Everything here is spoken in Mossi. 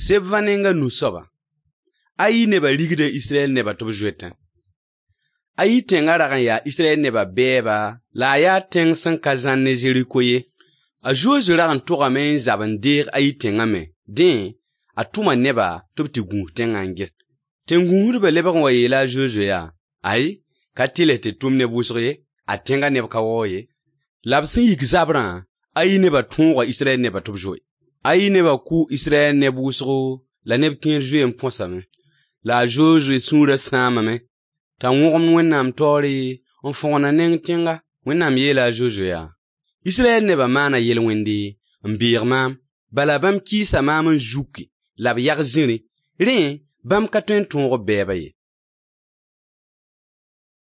Sebvã neng a nu soabã. Ayi nebã rigda Israyɛl nebã tɩ b zoetẽ. Ayi tẽngã rag n yaa Israyɛl nebã bɛɛba la a yaa tẽng sẽn ka zãr ne Zeriko ye. A Zozo rag n togame n zab n deeg Ayi tẽngã me. Dẽ, a tʋma neba tɩ b tɩ gũus tẽngã n ges. Tẽn-gũusdbã lebg n wa yeela a Zozo yaa: Ay, ka tɩlɛ tɩ d tʋm neb wʋsg ye, ad tẽngã neb ka waoog ye. La b sẽn yik zabrã, Ayi nebã tõoga Israyɛl nebã tɩ b zoe. Ayi nebã kʋʋ Israyɛl neb wʋsgo la neb kẽer zoe n põsame. La a Zozoe sũurã sãamame t'a wõgemd Wẽnnaam taoore n fõgen a neng tẽnga. Wẽnnaam yeela a Zozoe yaa: Israyɛl nebã maana yel-wẽnde n beeg maam. Bala bãmb kɩɩsa maam n zuki la b yag zĩri. Rẽ, bãmb ka tõe n tõog b bɛɛba ye.